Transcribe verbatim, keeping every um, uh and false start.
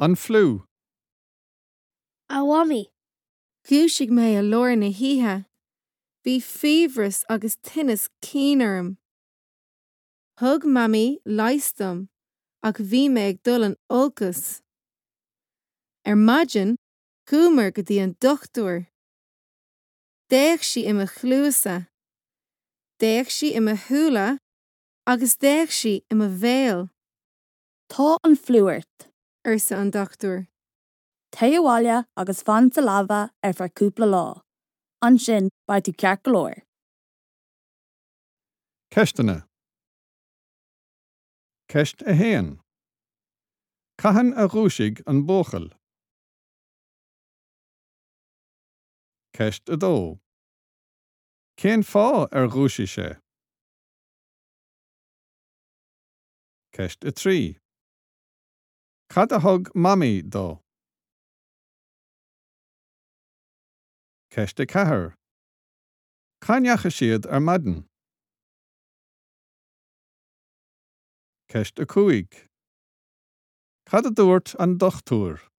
An fliú. A Mhamaí. Dhúisigh mé i lár na hoíche. Bhí fiabhras agus tinneas cinn orm. Thug Mamaí leigheas dom ach bhí mé ag dul in olcas. Ar maidin, chuamar go dtí an dochtúir. D'fhéach sí i mo chluasa. D'fhéach sí i mo shúile agus d'fhéach sí i mo bhéal. Tá an fliú ort, arsa an dochtúir. Téigh abhaile agus fan sa leaba ar feadh cúpla lá. Ansin beidh tú ceart go leor. Ceisteanna. Ceist a haon. Cathain a dhúisigh an buachaill? Ceist a dó. Cén fáth ar dhúisigh sé? Ceist a trí. Cad a thug Mamaí dó? Ceist a ceathair. Cá ndeachaigh siad ar maidin? Ceist a cúig. Cad a dúirt an dochtúir?